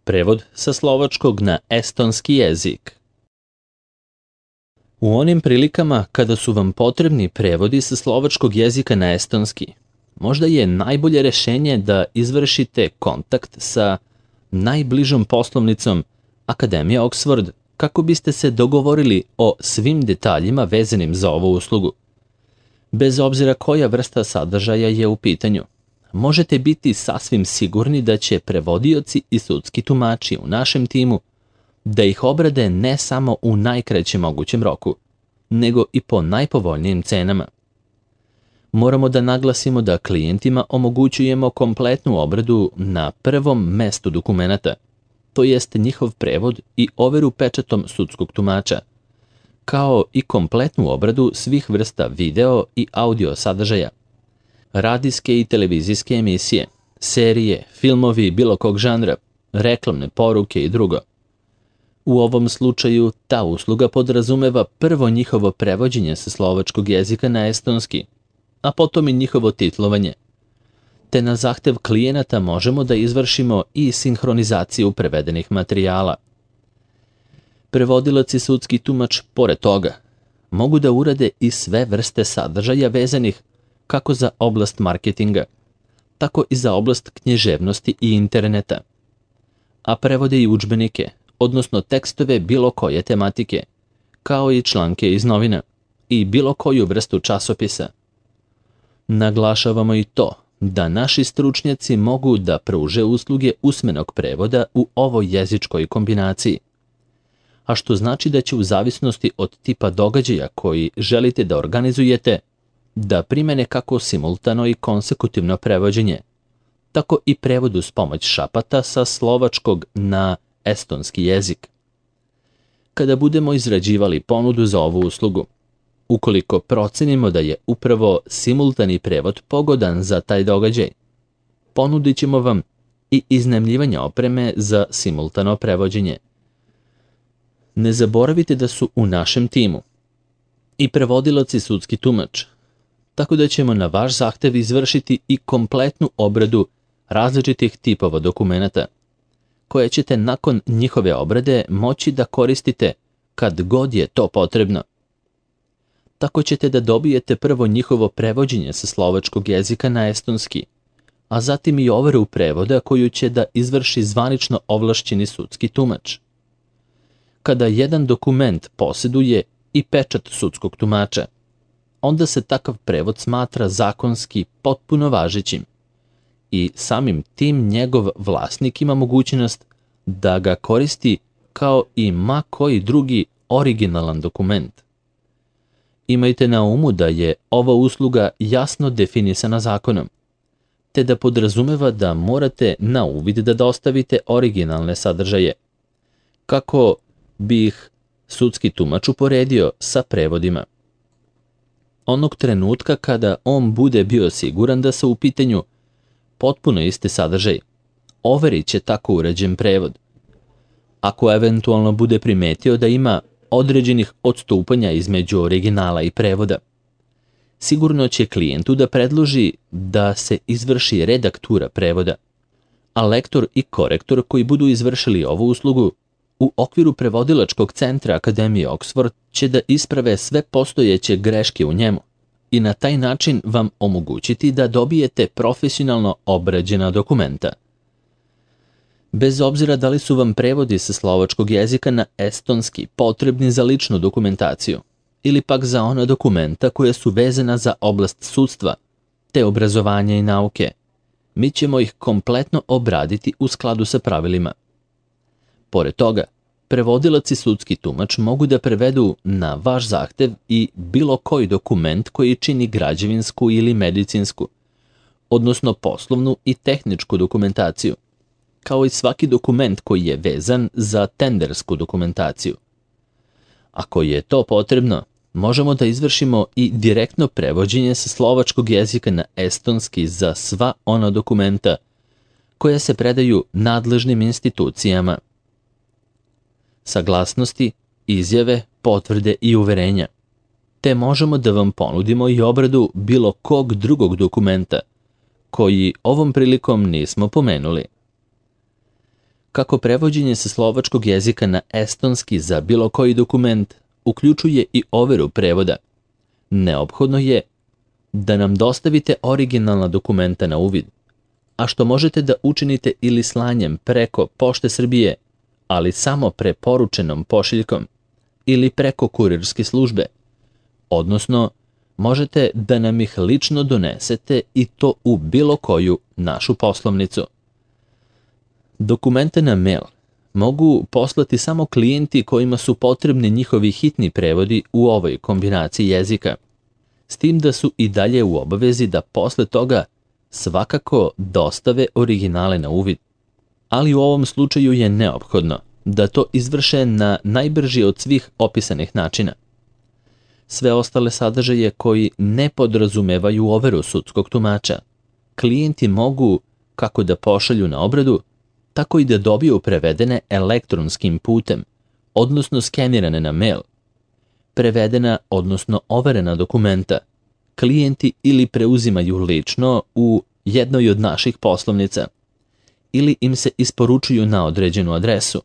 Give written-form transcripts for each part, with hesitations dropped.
Prevod sa slovačkog na estonski jezik. U onim prilikama kada su vam potrebni prevodi sa slovačkog jezika na estonski, možda je najbolje rešenje da izvršite kontakt sa najbližom poslovnicom Akademije Oxford kako biste se dogovorili o svim detaljima vezanim za ovu uslugu. Bez obzira koja vrsta sadržaja je u pitanju, možete biti sasvim sigurni da će prevodioci i sudski tumači u našem timu da ih obrade ne samo u najkraćem mogućem roku, nego i po najpovoljnijim cenama. Moramo da naglasimo da klijentima omogućujemo kompletnu obradu na prvom mestu dokumenata, to jest njihov prevod i overu pečatom sudskog tumača, kao i kompletnu obradu svih vrsta video i audio sadržaja, radijske i televizijske emisije, serije, filmovi bilo kog žanra, reklamne poruke i drugo. U ovom slučaju ta usluga podrazumeva prvo njihovo prevođenje sa slovačkog jezika na estonski, a potom i njihovo titlovanje. Te na zahtev klijenata možemo da izvršimo i sinhronizaciju prevedenih materijala. Prevodilac i sudski tumač, pored toga, mogu da urade i sve vrste sadržaja vezanih kako za oblast marketinga, tako i za oblast književnosti i interneta. A prevode i udžbenike, odnosno tekstove bilo koje tematike, kao i članke iz novina i bilo koju vrstu časopisa. Naglašavamo i to da naši stručnjaci mogu da pruže usluge usmenog prevoda u ovoj jezičkoj kombinaciji, a što znači da će u zavisnosti od tipa događaja koji želite da organizujete, da primene kako simultano i konsekutivno prevođenje, tako i prevod uz pomoć šapata sa slovačkog na estonski jezik. Kada budemo izrađivali ponudu za ovu uslugu, ukoliko procenimo da je upravo simultani prevod pogodan za taj događaj, ponudit ćemo vam i iznajmljivanje opreme za simultano prevođenje. Ne zaboravite da su u našem timu i prevodilac i sudski tumač, tako da ćemo na vaš zahtev izvršiti i kompletnu obradu različitih tipova dokumenata, koje ćete nakon njihove obrade moći da koristite kad god je to potrebno. Tako ćete da dobijete prvo njihovo prevođenje sa slovačkog jezika na estonski, a zatim i overu prevoda koju će da izvrši zvanično ovlašćeni sudski tumač. Kada jedan dokument posjeduje i pečat sudskog tumača, onda se takav prevod smatra zakonski potpuno važećim i samim tim njegov vlasnik ima mogućnost da ga koristi kao i ma koji drugi originalan dokument. Imajte na umu da je ova usluga jasno definisana zakonom, te da podrazumeva da morate na uvid da dostavite originalne sadržaje, kako bi ih sudski tumač uporedio sa prevodima. Onog trenutka kada on bude bio siguran da su u pitanju potpuno isti sadržaj, overit će tako urađen prevod. Ako eventualno bude primetio da ima određenih odstupanja između originala i prevoda, sigurno će klijentu da predloži da se izvrši redaktura prevoda, a lektor i korektor koji budu izvršili ovu uslugu u okviru prevodilačkog centra Akademije Oxford će da isprave sve postojeće greške u njemu i na taj način vam omogućiti da dobijete profesionalno obrađena dokumenta. Bez obzira da li su vam prevodi sa slovačkog jezika na estonski potrebni za ličnu dokumentaciju ili pak za ona dokumenta koja su vezana za oblast sudstva te obrazovanja i nauke, mi ćemo ih kompletno obraditi u skladu sa pravilima. Pored toga, prevodilac i sudski tumač mogu da prevedu na vaš zahtev i bilo koji dokument koji čini građevinsku ili medicinsku, odnosno poslovnu i tehničku dokumentaciju, kao i svaki dokument koji je vezan za tendersku dokumentaciju. Ako je to potrebno, možemo da izvršimo i direktno prevođenje sa slovačkog jezika na estonski za sva ona dokumenta koja se predaju nadležnim institucijama. Saglasnosti, izjave, potvrde i uverenja, te možemo da vam ponudimo i obradu bilo kog drugog dokumenta koji ovom prilikom nismo pomenuli. Kako prevođenje sa slovačkog jezika na estonski za bilo koji dokument uključuje i overu prevoda, neophodno je da nam dostavite originalna dokumenta na uvid, a što možete da učinite ili slanjem preko Pošte Srbije, ali samo preporučenom pošiljkom, ili preko kurirske službe, odnosno možete da nam ih lično donesete i to u bilo koju našu poslovnicu. Dokumente na mail mogu poslati samo klijenti kojima su potrebni njihovi hitni prevodi u ovoj kombinaciji jezika, s tim da su i dalje u obavezi da posle toga svakako dostave originale na uvid. Ali u ovom slučaju je neophodno da to izvrše na najbrži od svih opisanih načina. Sve ostale sadržaje koji ne podrazumevaju overu sudskog tumača, klijenti mogu kako da pošalju na obradu, tako i da dobiju prevedene elektronskim putem, odnosno skenirane na mail. Prevedena, odnosno overena dokumenta, klijenti ili preuzimaju lično u jednoj od naših poslovnica, ili im se isporučuju na određenu adresu,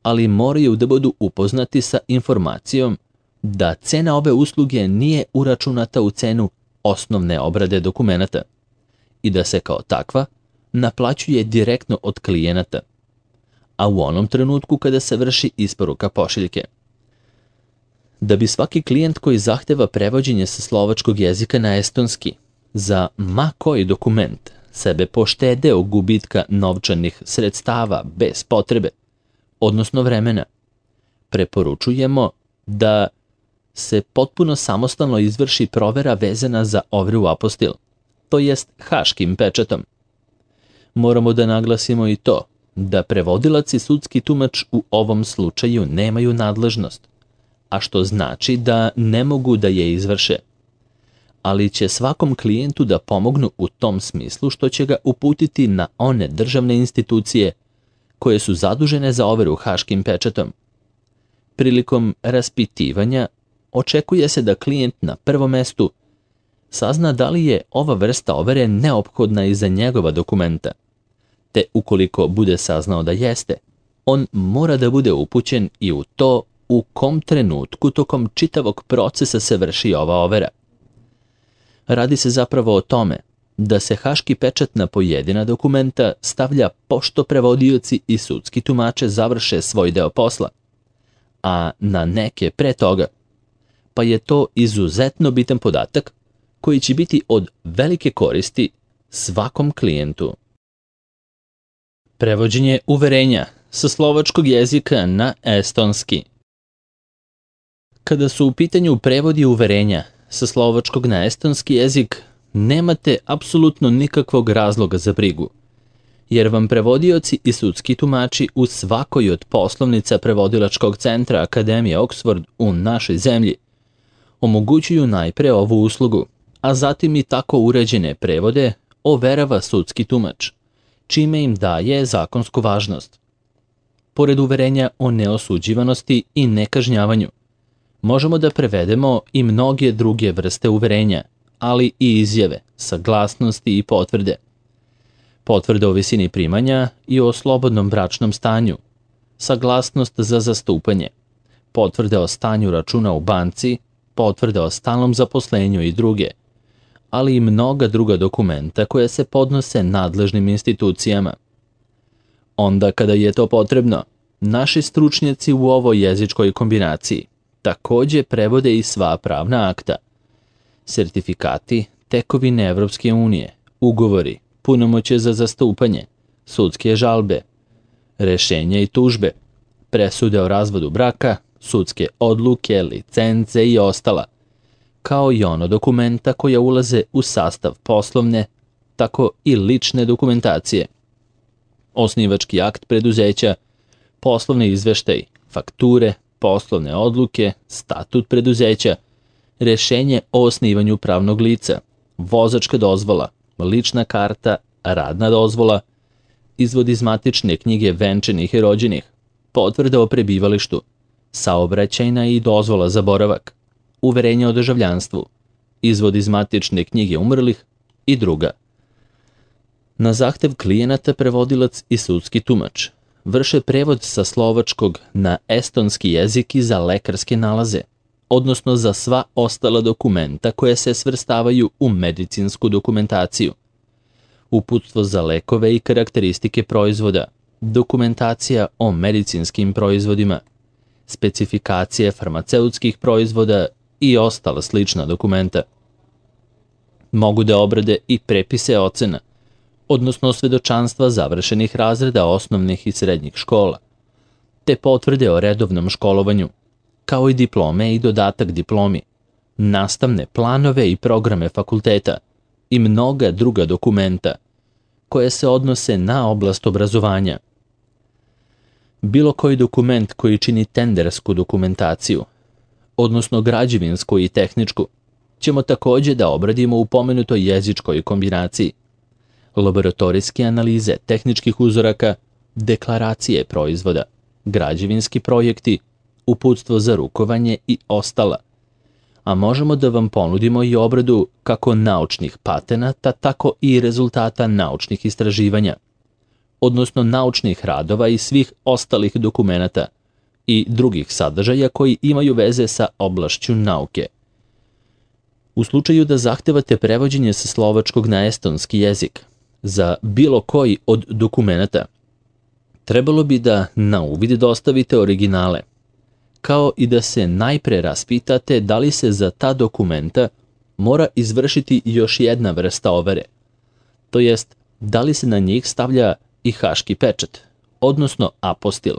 ali moraju da budu upoznati sa informacijom da cena ove usluge nije uračunata u cenu osnovne obrade dokumenata i da se kao takva naplaćuje direktno od klijenata, a u onom trenutku kada se vrši isporuka pošiljke. Da bi svaki klijent koji zahteva prevođenje sa slovačkog jezika na estonski za ma koji dokument sebe poštedeo gubitka novčanih sredstava bez potrebe, odnosno vremena, preporučujemo da se potpuno samostalno izvrši provera vezana za overu apostil, to jest haškim pečatom. Moramo da naglasimo i to da prevodilac i sudski tumač u ovom slučaju nemaju nadležnost, a što znači da ne mogu da je izvrše, ali će svakom klijentu da pomognu u tom smislu što će ga uputiti na one državne institucije koje su zadužene za overu haškim pečatom. Prilikom raspitivanja očekuje se da klijent na prvom mestu sazna da li je ova vrsta overe neophodna i za njegova dokumenta, te ukoliko bude saznao da jeste, on mora da bude upućen i u to u kom trenutku tokom čitavog procesa se vrši ova overa. Radi se zapravo o tome da se haški pečat na pojedina dokumenta stavlja pošto prevodioci i sudski tumače završe svoj deo posla, a na neke pre toga, pa je to izuzetno bitan podatak koji će biti od velike koristi svakom klijentu. Prevođenje uverenja sa slovačkog jezika na estonski. Kada su u pitanju prevodi uverenja sa slovačkog na estonski jezik, nemate apsolutno nikakvog razloga za brigu, jer vam prevodioci i sudski tumači u svakoj od poslovnica prevodilačkog centra Akademije Oxford u našoj zemlji omogućuju najpre ovu uslugu, a zatim i tako uređene prevode overava sudski tumač, čime im daje zakonsku važnost. Pored uverenja o neosuđivanosti i nekažnjavanju, možemo da prevedemo i mnoge druge vrste uverenja, ali i izjave, saglasnosti i potvrde. Potvrde o visini primanja i o slobodnom bračnom stanju, saglasnost za zastupanje, potvrde o stanju računa u banci, potvrde o stalnom zaposlenju i druge, ali i mnoga druga dokumenta koje se podnose nadležnim institucijama. Onda kada je to potrebno, naši stručnjaci u ovoj jezičkoj kombinaciji takođe prevode i sva pravna akta, sertifikati, tekovine Evropske unije, ugovori, punomoćje za zastupanje, sudske žalbe, rešenja i tužbe, presude o razvodu braka, sudske odluke, licence i ostala, kao i ono dokumenta koja ulaze u sastav poslovne, tako i lične dokumentacije. Osnivački akt preduzeća, poslovni izveštaj, fakture, poslovne odluke, statut preduzeća, rešenje o osnivanju pravnog lica, vozačka dozvola, lična karta, radna dozvola, izvod iz matične knjige venčanih i rođenih, potvrda o prebivalištu, saobraćajna i dozvola za boravak, uverenje o državljanstvu, izvod iz matične knjige umrlih i druga. Na zahtev klijenata prevodilac i sudski tumač vrše prevod sa slovačkog na estonski jezik i za lekarske nalaze, odnosno za sva ostala dokumenta koje se svrstavaju u medicinsku dokumentaciju. Uputstvo za lekove i karakteristike proizvoda, dokumentacija o medicinskim proizvodima, specifikacije farmaceutskih proizvoda i ostala slična dokumenta. Mogu da obrade i prepise ocena, odnosno svedočanstva završenih razreda osnovnih i srednjih škola, te potvrde o redovnom školovanju, kao i diplome i dodatak diplomi, nastavne planove i programe fakulteta i mnoga druga dokumenta koje se odnose na oblast obrazovanja. Bilo koji dokument koji čini tendersku dokumentaciju, odnosno građevinsku i tehničku, ćemo takođe da obradimo u pomenutoj jezičkoj kombinaciji. Laboratorijske analize tehničkih uzoraka, deklaracije proizvoda, građevinski projekti, uputstvo za rukovanje i ostala. A možemo da vam ponudimo i obradu kako naučnih patenata, tako i rezultata naučnih istraživanja, odnosno naučnih radova i svih ostalih dokumenata i drugih sadržaja koji imaju veze sa oblašću nauke. U slučaju da zahtevate prevođenje sa slovačkog na estonski jezik za bilo koji od dokumenata, trebalo bi da na uvid dostavite originale, kao i da se najpre raspitate da li se za ta dokumenta mora izvršiti još jedna vrsta overe, to jest da li se na njih stavlja i haški pečat, odnosno apostil.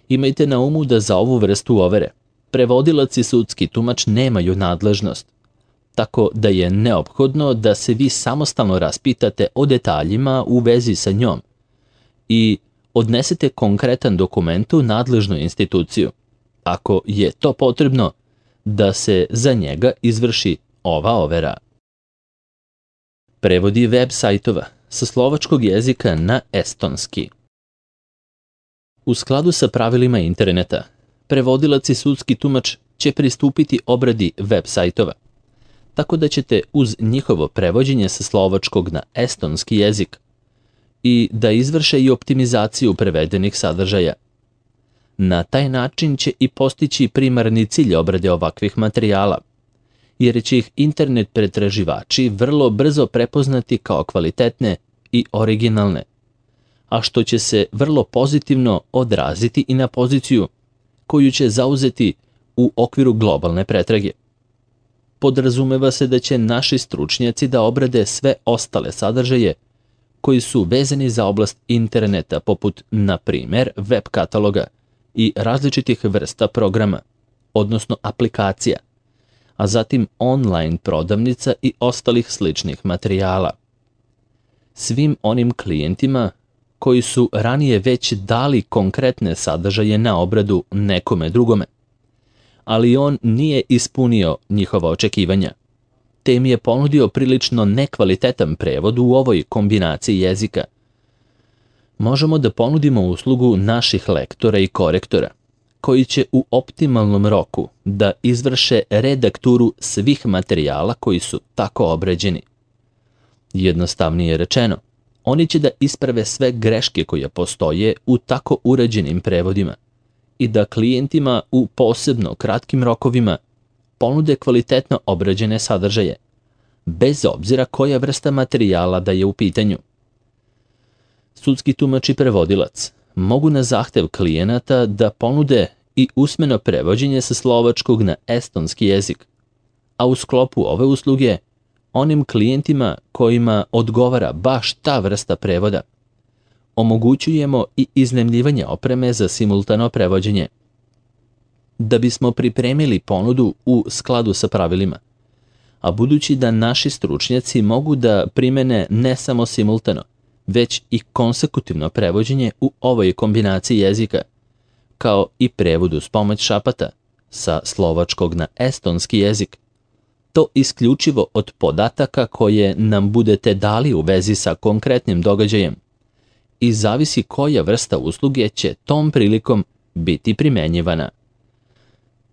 Imajte na umu da za ovu vrstu overe prevodilac i sudski tumač nemaju nadležnost, tako da je neophodno da se vi samostalno raspitate o detaljima u vezi sa njom i odnesete konkretan dokument u nadležnu instituciju, ako je to potrebno, da se za njega izvrši ova overa. Prevodi web sajtova sa slovačkog jezika na estonski. U skladu sa pravilima interneta, prevodilac i sudski tumač će pristupiti obradi web sajtova, tako da ćete uz njihovo prevođenje sa slovačkog na estonski jezik i da izvrše i optimizaciju prevedenih sadržaja. Na taj način će i postići primarni cilj obrade ovakvih materijala, jer će ih internet pretraživači vrlo brzo prepoznati kao kvalitetne i originalne, a što će se vrlo pozitivno odraziti i na poziciju koju će zauzeti u okviru globalne pretrage. Podrazumeva se da će naši stručnjaci da obrade sve ostale sadržaje koji su vezani za oblast interneta, poput, na primer, web kataloga i različitih vrsta programa, odnosno aplikacija, a zatim online prodavnica i ostalih sličnih materijala. Svim onim klijentima koji su ranije već dali konkretne sadržaje na obradu nekome drugome, ali on nije ispunio njihova očekivanja, te im je ponudio prilično nekvalitetan prevod u ovoj kombinaciji jezika. Možemo da ponudimo uslugu naših lektora i korektora, koji će u optimalnom roku da izvrše redakturu svih materijala koji su tako obrađeni. Jednostavnije rečeno, oni će da isprave sve greške koje postoje u tako urađenim prevodima i da klijentima u posebno kratkim rokovima ponude kvalitetno obrađene sadržaje, bez obzira koja vrsta materijala da je u pitanju. Sudski tumač i prevodilac mogu na zahtev klijenata da ponude i usmeno prevođenje sa slovačkog na estonski jezik, a u sklopu ove usluge onim klijentima kojima odgovara baš ta vrsta prevoda omogućujemo i iznajmljivanje opreme za simultano prevođenje. Da bismo pripremili ponudu u skladu sa pravilima, a budući da naši stručnjaci mogu da primene ne samo simultano, već i konsekutivno prevođenje u ovoj kombinaciji jezika, kao i prevod uz pomoć šapata sa slovačkog na estonski jezik, to isključivo od podataka koje nam budete dali u vezi sa konkretnim događajem i zavisi koja vrsta usluge će tom prilikom biti primenjivana.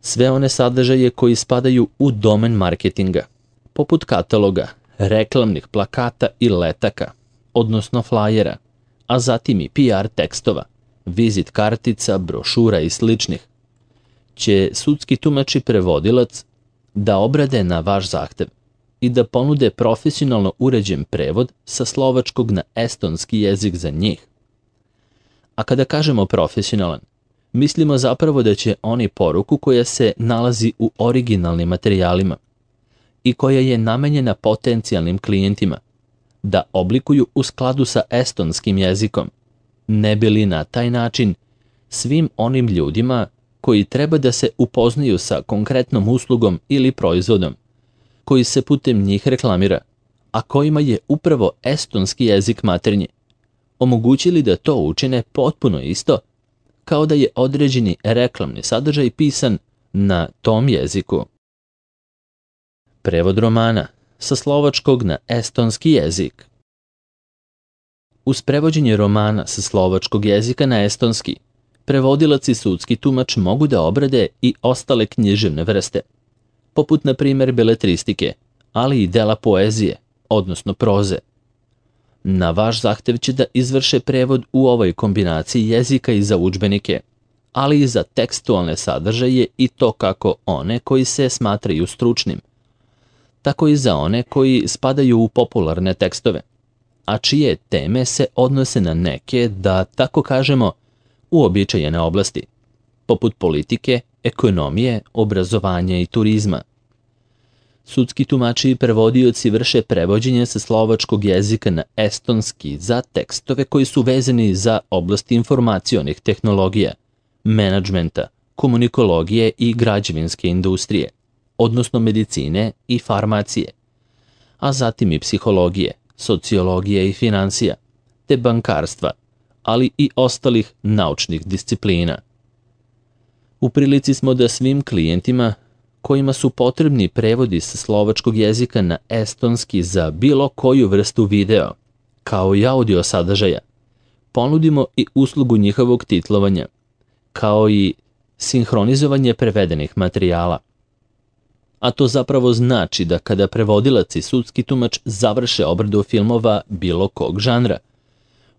Sve one sadržaje koji spadaju u domen marketinga, poput kataloga, reklamnih plakata i letaka, odnosno flajera, a zatim i PR tekstova, vizit kartica, brošura i sličnih, će sudski tumač i prevodilac da obrade na vaš zahtev i da ponude profesionalno uređen prevod sa slovačkog na estonski jezik za njih. A kada kažemo profesionalan, mislimo zapravo da će oni poruku koja se nalazi u originalnim materijalima i koja je namenjena potencijalnim klijentima da oblikuju u skladu sa estonskim jezikom, ne bi li na taj način svim onim ljudima koji treba da se upoznaju sa konkretnom uslugom ili proizvodom, koji se putem njih reklamira, a kojima je upravo estonski jezik maternji, omogućili da to učine potpuno isto kao da je određeni reklamni sadržaj pisan na tom jeziku. Prevod romana sa slovačkog na estonski jezik. Uz prevođenje romana sa slovačkog jezika na estonski, prevodilac i sudski tumač mogu da obrade i ostale književne vrste, poput na primjer beletristike, ali i dela poezije, odnosno proze. Na vaš zahtev će da izvrše prevod u ovoj kombinaciji jezika i za udžbenike, ali i za tekstualne sadržaje i to kako one koji se smatraju stručnim, tako i za one koji spadaju u popularne tekstove, a čije teme se odnose na neke, da tako kažemo, uobičajene oblasti, poput politike, ekonomije, obrazovanja i turizma. Sudski tumači i prevodioci vrše prevođenje sa slovačkog jezika na estonski za tekstove koji su vezani za oblast informacionih tehnologija, menadžmenta, komunikologije i građevinske industrije, odnosno medicine i farmacije, a zatim i psihologije, sociologije i finansija, te bankarstva, ali i ostalih naučnih disciplina. U prilici smo da svim klijentima kojima su potrebni prevodi sa slovačkog jezika na estonski za bilo koju vrstu video, kao i audio sadržaja, ponudimo i uslugu njihovog titlovanja, kao i sinhronizovanje prevedenih materijala. A to zapravo znači da kada prevodilac i sudski tumač završe obradu filmova bilo kog žanra,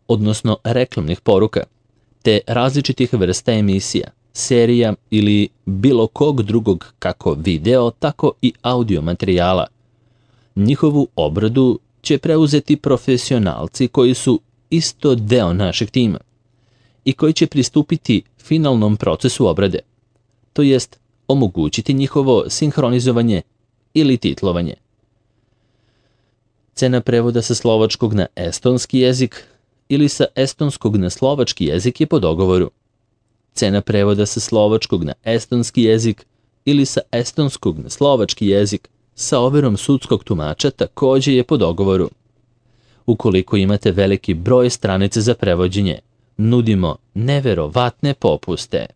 odnosno reklamnih poruka, te različitih vrsta emisija, serija ili bilo kog drugog kako video, tako i audio materijala, njihovu obradu će preuzeti profesionalci koji su isto deo našeg tima i koji će pristupiti finalnom procesu obrade, to jest omogućiti njihovo sinhronizovanje ili titlovanje. Cena prevoda sa slovačkog na estonski jezik ili sa estonskog na slovački jezik je po dogovoru. Cena prevoda sa slovačkog na estonski jezik ili sa estonskog na slovački jezik sa overom sudskog tumača također je po dogovoru. Ukoliko imate veliki broj stranica za prevođenje, nudimo neverovatne popuste.